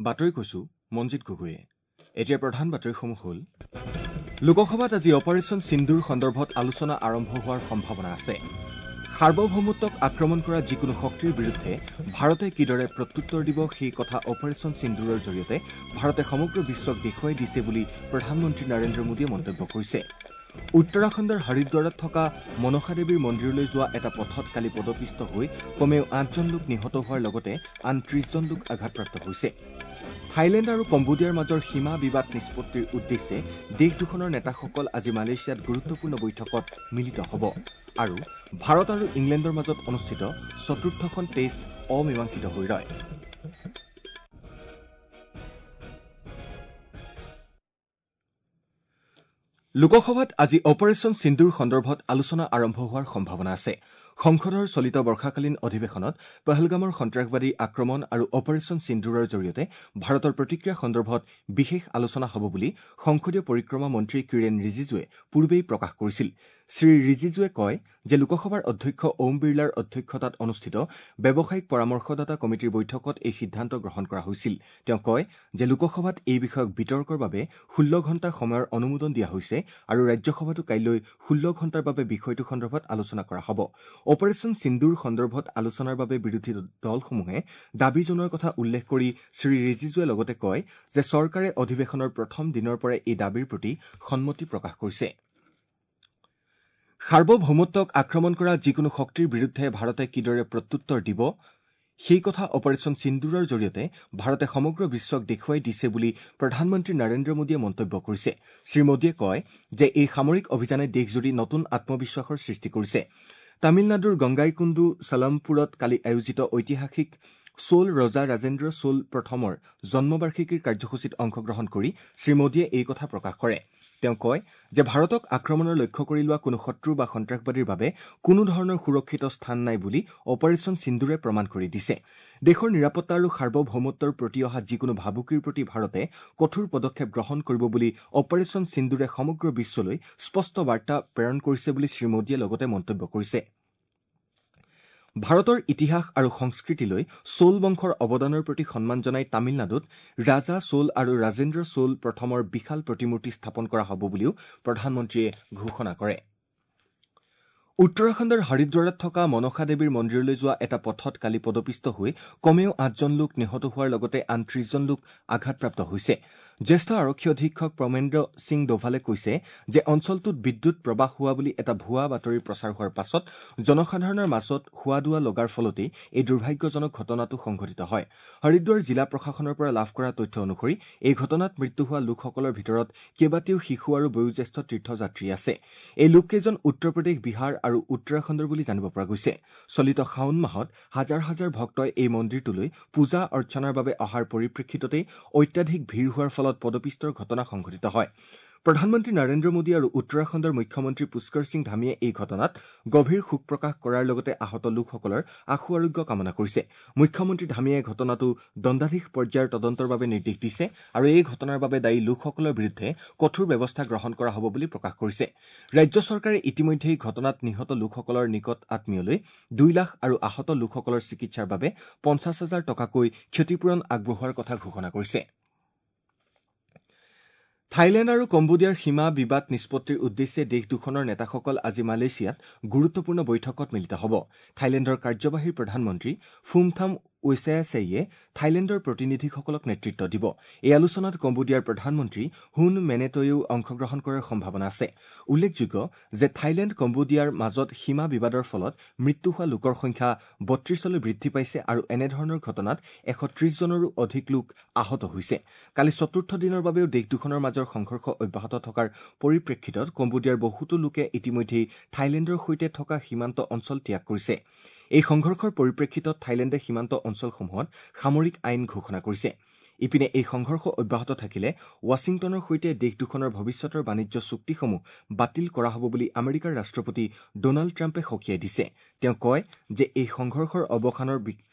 বাতৰি কৈছো মঞ্জিত গগৈয়ে। এতিয়া প্ৰধান বাতৰিসমূহ হ'ল: লোকসভাত আজি অপাৰেশ্যন সিন্দুৰ সন্দৰ্ভত আলোচনা আৰম্ভ হোৱাৰ সম্ভাৱনা আছে। সাৰ্বভৌমত্বক আক্ৰমণ কৰা যিকোনো শক্তিৰ বিৰুদ্ধে ভাৰতে কিদৰে প্ৰত্যুত্তৰ দিব সেই কথা অপাৰেশ্যন সিন্দুৰৰ জৰিয়তে ভাৰতে সমগ্ৰ বিশ্বক দেখুৱাই দিছে বুলি প্ৰধানমন্ত্ৰী নৰেন্দ্ৰ মোদীয়ে মন্তব্য কৰিছে। উত্তৰাখণ্ডৰ হৰিদ্বাৰত থকা মনসা দেৱীৰ মন্দিৰলৈ যোৱা এটা পথত কালি পদপিষ্ট হৈ কমেও ৮জন লোক নিহত হোৱাৰ লগতে আন ৩০জন লোক আঘাতপ্ৰাপ্ত হৈছে। থাইলেণ্ড আৰু কম্বোডিয়াৰ মাজৰ সীমা বিবাদ নিষ্পত্তিৰ উদ্দেশ্যে দেশ দুখনৰ নেতাসকল আজি মালয়েছিয়াত গুৰুত্বপূৰ্ণ বৈঠকত মিলিত হ'ব। আৰু ভাৰত আৰু ইংলেণ্ডৰ মাজত অনুষ্ঠিত চতুৰ্থখন টেষ্ট অমীমাংসিত হৈ ৰয়। লোকসভাত আজি অপাৰেশ্যন সিন্দুৰ সন্দৰ্ভত আলোচনা আৰম্ভ হোৱাৰ সম্ভাৱনা আছে। সংসদৰ চলিত বৰ্ষাকালীন অধিৱেশনত পহলগামৰ সন্ত্ৰাসবাদী আক্ৰমণ আৰু অপাৰেশ্যন সিন্দুৰৰ জৰিয়তে ভাৰতৰ প্ৰতিক্ৰিয়া সন্দৰ্ভত বিশেষ আলোচনা হ'ব বুলি সংসদীয় পৰিক্ৰমা মন্ত্ৰী কিৰেণ ৰিজিজুৱে পূৰ্বেই প্ৰকাশ কৰিছিল। শ্ৰী ৰিজিজুৱে কয় যে লোকসভাৰ অধ্যক্ষ ওম বিৰলাৰ অধ্যক্ষতাত অনুষ্ঠিত ব্যৱসায়িক পৰামৰ্শদাতা কমিটিৰ বৈঠকত এই সিদ্ধান্ত গ্ৰহণ কৰা হৈছিল। তেওঁ কয় যে লোকসভাত এই বিষয়ক বিতৰ্কৰ বাবে ১৬ ঘণ্টা সময়ৰ অনুমোদন দিয়া হৈছে আৰু ৰাজ্যসভাতো কাইলৈ ১৬ ঘণ্টাৰ বাবে বিষয়টো সন্দৰ্ভত আলোচনা কৰা হ'ব। অপাৰেশ্যন সিন্দুৰ সন্দৰ্ভত আলোচনাৰ বাবে বিৰোধী দলসমূহে দাবী জনোৱাৰ কথা উল্লেখ কৰি শ্ৰী ৰিজিজুৱে লগতে কয় যে চৰকাৰে অধিৱেশনৰ প্ৰথম দিনৰ পৰাই এই দাবীৰ প্ৰতি সন্মতি প্ৰকাশ কৰিছে। সাৰ্বভৌমত্বক আক্ৰমণ কৰা যিকোনো শক্তিৰ বিৰুদ্ধে ভাৰতে কিদৰে প্ৰত্যুত্তৰ দিব সেই কথা অপাৰেশ্যন সিন্দুৰৰ জৰিয়তে ভাৰতে সমগ্ৰ বিশ্বক দেখুৱাই দিছে বুলি প্ৰধানমন্ত্ৰী নৰেন্দ্ৰ মোদীয়ে মন্তব্য কৰিছে। শ্ৰী মোদীয়ে কয় যে এই সামৰিক অভিযানে দেশজুৰি নতুন আত্মবিশ্বাসৰ সৃষ্টি কৰিছে। তামিলনাডুৰ গংগাইকুণ্ডু চালামপুৰত কালি আয়োজিত ঐতিহাসিক চোল ৰজা ৰাজেন্দ্ৰ চোল প্ৰথমৰ জন্মবাৰ্ষিকীৰ কাৰ্যসূচীত অংশগ্ৰহণ কৰি শ্ৰী মোদীয়ে এই কথা প্ৰকাশ কৰে। তেওঁ কয় যে ভাৰতক আক্ৰমণৰ লক্ষ্য কৰি লোৱা কোনো শত্ৰু বা সন্ত্ৰাসবাদীৰ বাবে কোনো ধৰণৰ সুৰক্ষিত স্থান নাই বুলি অপাৰেশ্যন সিন্দুৰে প্ৰমাণ কৰি দিছে। দেশৰ নিৰাপত্তা আৰু সাৰ্বভৌমত্বৰ প্ৰতি অহা যিকোনো ভাবুকিৰ প্ৰতি ভাৰতে কঠোৰ পদক্ষেপ গ্ৰহণ কৰিব বুলি অপাৰেশ্যন সিন্দুৰে সমগ্ৰ বিশ্বলৈ স্পষ্ট বাৰ্তা প্ৰেৰণ কৰিছে বুলি শ্ৰী মোদীয়ে লগতে মন্তব্য কৰিছে। ভাৰতৰ ইতিহাস আৰু সংস্কৃতিলৈ চোল বংশৰ অৱদানৰ প্ৰতি সন্মান জনাই তামিলনাডুত ৰাজা চোল আৰু ৰাজেন্দ্ৰ চোল প্ৰথমৰ বিশাল প্ৰতিমূৰ্তি স্থাপন কৰা হ'ব বুলিও প্ৰধানমন্ত্ৰীয়ে ঘোষণা কৰে। উত্তৰাখণ্ডৰ হৰিদ্বাৰত থকা মনসা দেৱীৰ মন্দিৰলৈ যোৱা এটা পথত কালি পদপিষ্ট হৈ কমেও ৮জন লোক নিহত হোৱাৰ লগতে আন ৩০জন লোক আঘাতপ্ৰাপ্ত হৈছে। জ্যেষ্ঠ আৰক্ষী অধীক্ষক প্ৰমেন্দ্ৰ সিং ডোভালে কৈছে যে অঞ্চলটোত বিদ্যুৎ প্ৰবাহ হোৱা বুলি এটা ভুৱা বাতৰি প্ৰচাৰ হোৱাৰ পাছত জনসাধাৰণৰ মাজত হুৱাদুৱা লগাৰ ফলতেই এই দুৰ্ভাগ্যজনক ঘটনাটো সংঘটিত হয়। হৰিদ্বাৰ জিলা প্ৰশাসনৰ পৰা লাভ কৰা তথ্য অনুসৰি এই ঘটনাত মৃত্যু হোৱা লোকসকলৰ ভিতৰত কেইবাটিও শিশু আৰু বয়োজ্যেষ্ঠ তীৰ্থযাত্ৰী আছে। এই লোককেইজন উত্তৰ প্ৰদেশ, বিহাৰ আৰু উত্তৰাখণ্ডৰ বুলি জানিব পৰা গৈছে। চলিত শাওণ মাহত হাজাৰ হাজাৰ ভক্তই এই মন্দিৰটোলৈ পূজা অৰ্চনাৰ বাবে অহাৰ পৰিপ্ৰেক্ষিততেই অত্যাধিক ভিৰ হোৱাৰ ফলত পদপিষ্টৰ ঘটনা সংঘটিত হয়। প্ৰধানমন্ত্ৰী নৰেন্দ্ৰ মোদী আৰু উত্তৰাখণ্ডৰ মুখ্যমন্ত্ৰী পুষ্কৰ সিং ধামীয়ে এই ঘটনাত গভীৰ শোক প্ৰকাশ কৰাৰ লগতে আহত লোকসকলৰ আশু আৰোগ্য কামনা কৰিছে। মুখ্যমন্ত্ৰী ধামীয়ে ঘটনাটো দণ্ডাধীশ পৰ্যায়ৰ তদন্তৰ বাবে নিৰ্দেশ দিছে আৰু এই ঘটনাৰ বাবে দায়ী লোকসকলৰ বিৰুদ্ধে কঠোৰ ব্যৱস্থা গ্ৰহণ কৰা হ'ব বুলি প্ৰকাশ কৰিছে। ৰাজ্য চৰকাৰে ইতিমধ্যেই ঘটনাত নিহত লোকসকলৰ নিকট আত্মীয়লৈ ২ লাখ আৰু আহত লোকসকলৰ চিকিৎসাৰ বাবে ৫০ হাজাৰ টকাকৈ ক্ষতিপূৰণ আগবঢ়োৱাৰ কথা ঘোষণা কৰিছে। থাইলেণ্ড আৰু কম্বোডিয়াৰ সীমা বিবাদ নিষ্পত্তিৰ উদ্দেশ্যে দেশ দুখনৰ নেতাসকল আজি মালয়েছিয়াত গুৰুত্বপূৰ্ণ বৈঠকত মিলিত হ'ব। থাইলেণ্ডৰ কাৰ্যবাহী প্ৰধানমন্ত্ৰী ফুমথাম ৱেচায়াছেইয়ে থাইলেণ্ডৰ প্ৰতিনিধিসকলক নেতৃত্ব দিব। এই আলোচনাত কম্বোডিয়াৰ প্ৰধানমন্ত্ৰী হুন মেনেটয়েও অংশগ্ৰহণ কৰাৰ সম্ভাৱনা আছে। উল্লেখযোগ্য যে থাইলেণ্ড কম্বোডিয়াৰ মাজত সীমা বিবাদৰ ফলত মৃত্যু হোৱা লোকৰ সংখ্যা ৩২লৈ বৃদ্ধি পাইছে আৰু এনেধৰণৰ ঘটনাত ১৩০জনৰো অধিক লোক আহত হৈছে। কালি চতুৰ্থ দিনৰ বাবেও দেশ দুখনৰ মাজৰ সংঘৰ্ষ অব্যাহত থকাৰ পৰিপ্ৰেক্ষিতত কম্বোডিয়াৰ বহুতো লোকে ইতিমধ্যেই থাইলেণ্ডৰ সৈতে থকা সীমান্ত অঞ্চল ত্যাগ কৰিছে। এই সংঘৰ্ষৰ পৰিপ্ৰেক্ষিতত থাইলেণ্ডে সীমান্ত অঞ্চলসমূহত সামৰিক আইন ঘোষণা কৰিছে। ইপিনে এই সংঘৰ্ষ অব্যাহত থাকিলে ৱাশ্বিংটনৰ সৈতে দেশ দুখনৰ ভৱিষ্যতৰ বাণিজ্য চুক্তিসমূহ বাতিল কৰা হ'ব বুলি আমেৰিকাৰ ৰাষ্ট্ৰপতি ড'নাল্ড ট্ৰাম্পে সকীয়াই দিছে। তেওঁ কয় যে এই সংঘৰ্ষৰ অৱসানৰ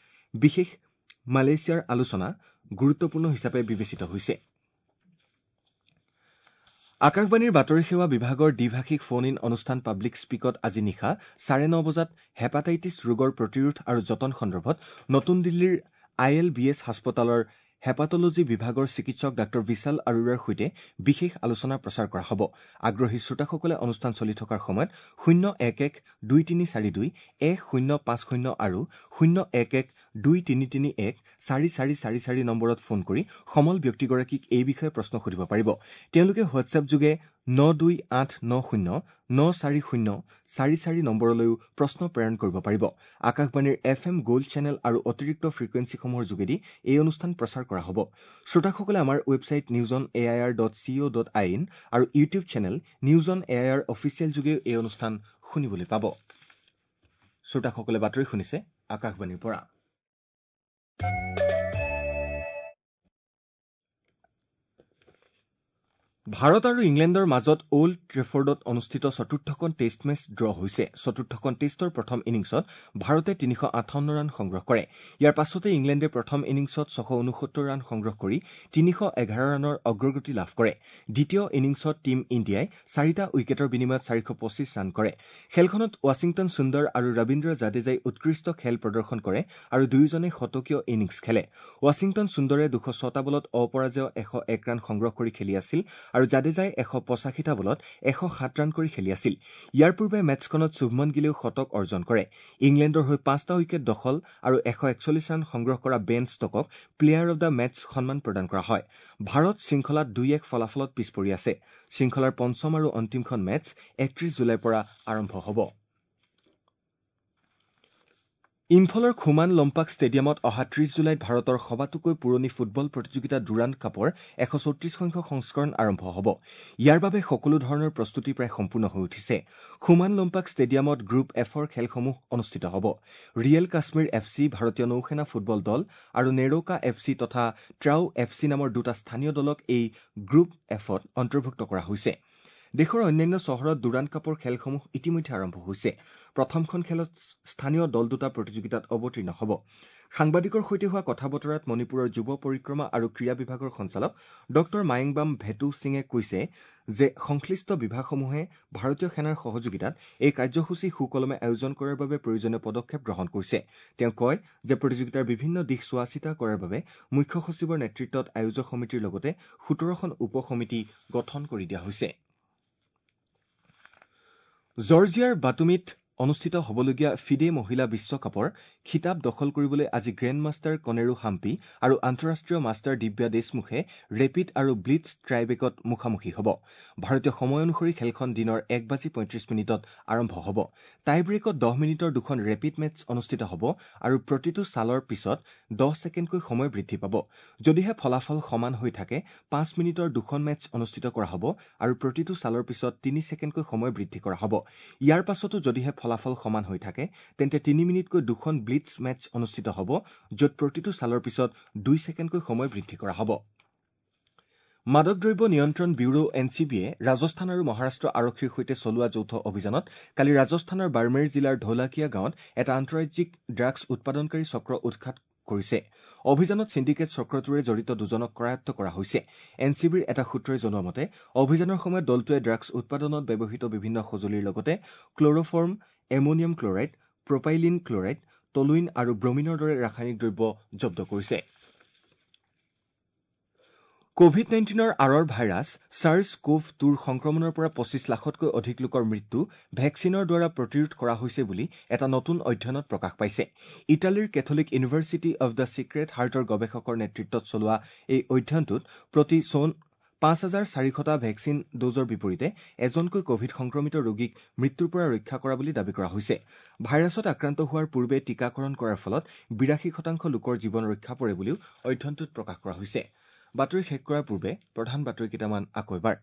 বিশেষ মালয়েছিয়াৰ আলোচনা গুৰুত্বপূৰ্ণ হিচাপে বিবেচিত হৈছে। আকাশবাণীৰ বাতৰি সেৱা বিভাগৰ দ্বিভাষিক ফোন ইন অনুষ্ঠান পাব্লিক স্পীকত আজি নিশা 9:30 বজাত হেপাটাইটিছ ৰোগৰ প্ৰতিৰোধ আৰু যতন সন্দৰ্ভত নতুন দিল্লীৰ I L B S হাস্পতালৰ হেপাটলজি বিভাগৰ চিকিৎসক ডাঃ বিশাল আৰোৰাৰ সৈতে বিশেষ আলোচনা প্ৰচাৰ কৰা হ'ব। আগ্ৰহী শ্ৰোতাসকলে অনুষ্ঠান চলি থকাৰ সময়ত 011 2342 1050 আৰু 011 2331 4444 নম্বৰত ফোন কৰি সমল ব্যক্তিগৰাকীক এই বিষয়ে প্ৰশ্ন সুধিব পাৰিব। তেওঁলোকে হোৱাটছএপ যোগে 92890 940 44 নম্বৰলৈও প্ৰশ্ন প্ৰেৰণ কৰিব পাৰিব। আকাশবাণীৰ এফ এম গ'ল্ড চেনেল আৰু অতিৰিক্ত ফ্ৰিকুৱেঞ্চিসমূহৰ যোগেদি এই অনুষ্ঠান প্ৰচাৰ কৰা হ'ব। শ্ৰোতাসকলে আমাৰ website news on A I R dot C O dot I N আৰু YouTube channel news on A I R official যোগেও এই অনুষ্ঠান শুনিবলৈ পাব। শ্ৰোতাসকলে বাতৰি শুনিছে আকাশবাণীৰ পৰা। ভাৰত আৰু ইংলেণ্ডৰ মাজত অল্ড ট্ৰেফৰ্ডত অনুষ্ঠিত চতুৰ্থখন টেষ্ট মেচ ড্ৰ হৈছে। চতুৰ্থখন টেষ্টৰ প্ৰথম ইনিংছত ভাৰতে 358 ৰান সংগ্ৰহ কৰে। ইয়াৰ পাছতে ইংলেণ্ডে প্ৰথম ইনিংছত 669 ৰান সংগ্ৰহ কৰি 311 ৰানৰ অগ্ৰগতি লাভ কৰে। দ্বিতীয় ইনিংছত টীম ইণ্ডিয়াই 4টা উইকেটৰ বিনিময়ত 425 ৰান কৰে। খেলখনত ৱাশ্বিংটন সুন্দৰ আৰু ৰবীন্দ্ৰ জাদেজাই উৎকৃষ্ট খেল প্ৰদৰ্শন কৰে আৰু দুয়োজনে শতকীয় ইনিংছ খেলে। ৱাশ্বিংটন সুন্দৰে 206টা বলত অপৰাজেয় 101 ৰান সংগ্ৰহ কৰি খেলি আছিল আৰু জাদেজাই 185টা বলত 107 ৰান কৰি খেলি আছিল। ইয়াৰ পূৰ্বে মেচখনত শুভমন গিলেও শতক অৰ্জন কৰে। ইংলেণ্ডৰ হৈ 5টা উইকেট দখল আৰু 141 ৰান সংগ্ৰহ কৰা বেন ষ্টকক প্লেয়াৰ অৱ the match সন্মান প্ৰদান কৰা হয়। ভাৰত শৃংখলাত 2-1 ফলাফলত পিছ পৰি আছে। শৃংখলাৰ পঞ্চম আৰু অন্তিমখন মেচ 31 জুলাইৰ পৰা আৰম্ভ হ'ব। ইম্ফলৰ খুমান লম্পাক ষ্টেডিয়ামত অহা 30 জুলাইত ভাৰতৰ সবাতোকৈ পুৰণি ফুটবল প্ৰতিযোগিতা ডুৰাণ্ড কাপৰ 134 সংখ্যক সংস্কৰণ আৰম্ভ হ'ব। ইয়াৰ বাবে সকলো ধৰণৰ প্ৰস্তুতি প্ৰায় সম্পূৰ্ণ হৈ উঠিছে। খুমান লম্পাক ষ্টেডিয়ামত গ্ৰুপ এফৰ খেলসমূহ অনুষ্ঠিত হ'ব। ৰিয়েল কাশ্মীৰ এফ চি, ভাৰতীয় নৌসেনা ফুটবল দল আৰু নেৰকা এফ চি তথা ট্ৰাউ এফ চি নামৰ দুটা স্থানীয় দলক এই গ্ৰুপ এফত অন্তৰ্ভুক্ত কৰা হৈছে। দেশৰ অন্যান্য চহৰত ডুৰাণ্ড কাপৰ খেলসমূহ ইতিমধ্যে আৰম্ভ হৈছে। প্ৰথমখন খেলত স্থানীয় দল দুটা প্ৰতিযোগিতাত অৱতীৰ্ণ হ'ব। সাংবাদিকৰ সৈতে হোৱা কথা বতৰাত মণিপুৰৰ যুৱ পৰিক্ৰমা আৰু ক্ৰীড়া বিভাগৰ সঞ্চালক ডঃ মায়েংবাম ভেটু সিঙে কৈছে যে সংশ্লিষ্ট বিভাগসমূহে ভাৰতীয় সেনাৰ সহযোগিতাত এই কাৰ্যসূচী সুকলমে আয়োজন কৰাৰ বাবে প্ৰয়োজনীয় পদক্ষেপ গ্ৰহণ কৰিছে। তেওঁ কয় যে প্ৰতিযোগিতাৰ বিভিন্ন দিশ চোৱাচিতা কৰাৰ বাবে মুখ্য সচিবৰ নেতৃত্বত আয়োজক সমিতিৰ লগতে 17খন উপ সমিতি গঠন কৰি দিয়া হৈছে। জৰ্জিয়াৰ বাটুমিত অনুষ্ঠিত হ'বলগীয়া ফিডে মহিলা বিশ্বকাপৰ খিতাপ দখল কৰিবলৈ আজি গ্ৰেণ্ড মাষ্টাৰ কনেৰু হাম্পি আৰু আন্তঃৰাষ্ট্ৰীয় মাষ্টাৰ দিব্যা দেশমুখে ৰেপিড আৰু ব্লিটছ ট্ৰাইবেকত মুখামুখি হ'ব। ভাৰতীয় সময় অনুসৰি খেলখন দিনৰ 1:35 আৰম্ভ হ'ব। টাইব্ৰেকত 10 মিনিটৰ দুখন ৰেপিড মেচ অনুষ্ঠিত হ'ব আৰু প্ৰতিটো চালৰ পিছত 10 ছেকেণ্ডকৈ সময় বৃদ্ধি পাব। যদিহে ফলাফল সমান হৈ থাকে 5 মিনিটৰ দুখন মেচ অনুষ্ঠিত কৰা হ'ব আৰু প্ৰতিটো চালৰ পিছত 3 ছেকেণ্ডকৈ সময় বৃদ্ধি কৰা হ'ব। ইয়াৰ পাছতো যদিহে ফলাফল সমান হৈ থাকে তেন্তে 3 মিনিটকৈ দুখন ব্লিটছ মেচ অনুষ্ঠিত হ'ব, য'ত প্ৰতিটো চালৰ পিছত 2 ছেকেণ্ডকৈ সময় বৃদ্ধি কৰা হ'ব। মাদক দ্ৰব্য নিয়ন্ত্ৰণ ব্যুৰো এন চি বিয়ে ৰাজস্থান আৰু মহাৰাষ্ট্ৰ আৰক্ষীৰ সৈতে চলোৱা যৌথ অভিযানত কালি ৰাজস্থানৰ বাৰ্মেৰ জিলাৰ ঢোলাকিয়া গাঁৱত এটা আন্তঃৰাজ্যিক ড্ৰাগছ উৎপাদনকাৰী চক্ৰ উৎখাত কৰিছে। অভিযানত ছিণ্ডিকেট চক্ৰটোৰে জড়িত দুজনক কৰায়ত্ব কৰা হৈছে। এন চি বিৰ এটা সূত্ৰই জনোৱা মতে অভিযানৰ সময়ত দলটোৱে ড্ৰাগছ উৎপাদনত ব্যৱহৃত বিভিন্ন সঁজুলিৰ লগতে chloroform, ammonium chloride, propylene chloride, toluene আৰু ব্ৰমিনৰ দৰে ৰাসায়নিক দ্ৰব্য জব্দ কৰিছে। কভিড 19ৰ আঁৰৰ ভাইৰাছ ছাৰ্ছ কোভ 2ৰ সংক্ৰমণৰ পৰা 25 লাখতকৈ অধিক লোকৰ মৃত্যু ভেকচিনৰ দ্বাৰা প্ৰতিৰোধ কৰা হৈছে বুলি এটা নতুন অধ্যয়নত প্ৰকাশ পাইছে। ইটালীৰ Catholic University of the Sacred হাৰ্টৰ গৱেষকৰ নেতৃত্বত চলোৱা এই অধ্যয়নটোত প্ৰতি 5,400টা ভেকচিন ড'জৰ বিপৰীতে এজনকৈ কভিড সংক্ৰমিত ৰোগীক মৃত্যুৰ পৰা ৰক্ষা কৰা বুলি দাবী কৰা হৈছে। ভাইৰাছত আক্ৰান্ত হোৱাৰ পূৰ্বে টীকাকৰণ কৰাৰ ফলত 82% লোকৰ জীৱন ৰক্ষা পৰে বুলিও অধ্যয়নটোত প্ৰকাশ কৰা হৈছে। বাতৰি শেষ কৰাৰ পূৰ্বে প্ৰধান বাতৰি কেইটামান আকৌ এবাৰ।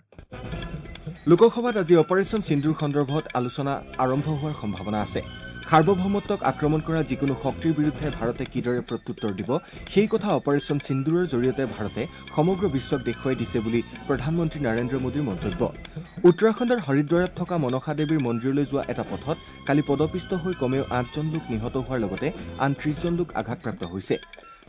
লোকসভাত আজি অপাৰেশ্যন সিন্দুৰ সন্দৰ্ভত আলোচনা আৰম্ভ হোৱাৰ সম্ভাৱনা আছে। সাৰ্বভৌমত্বক আক্ৰমণ কৰা যিকোনো শক্তিৰ বিৰুদ্ধে ভাৰতে কিদৰে প্ৰত্যুত্তৰ দিব সেই কথা অপাৰেশ্যন সিন্দুৰৰ জৰিয়তে ভাৰতে সমগ্ৰ বিশ্বক দেখুৱাই দিছে বুলি প্ৰধানমন্ত্ৰী নৰেন্দ্ৰ মোদীৰ মন্তব্য। উত্তৰাখণ্ডৰ হৰিদ্বাৰত থকা মনসা দেৱীৰ মন্দিৰলৈ যোৱা এটা পথত কালি পদপিষ্ট হৈ কমেও 8জন লোক নিহত হোৱাৰ লগতে আন 30জন লোক আঘাতপ্ৰাপ্ত হৈছে।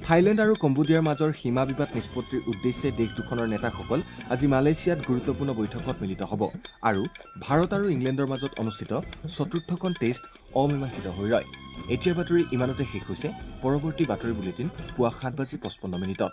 থাইলেণ্ড আৰু কম্বোডিয়াৰ মাজৰ সীমা বিবাদ নিষ্পত্তিৰ উদ্দেশ্যে দেশ দুখনৰ নেতাসকল আজি মালয়েছিয়াত গুৰুত্বপূৰ্ণ বৈঠকত মিলিত হ'ব। আৰু ভাৰত আৰু ইংলেণ্ডৰ মাজত অনুষ্ঠিত চতুৰ্থখন টেষ্ট অমীমাংসিত হৈ ৰয়। এতিয়াৰ বাতৰি ইমানতে শেষ হৈছে। পৰৱৰ্তী বাতৰি বুলেটিন পুৱা 7:55।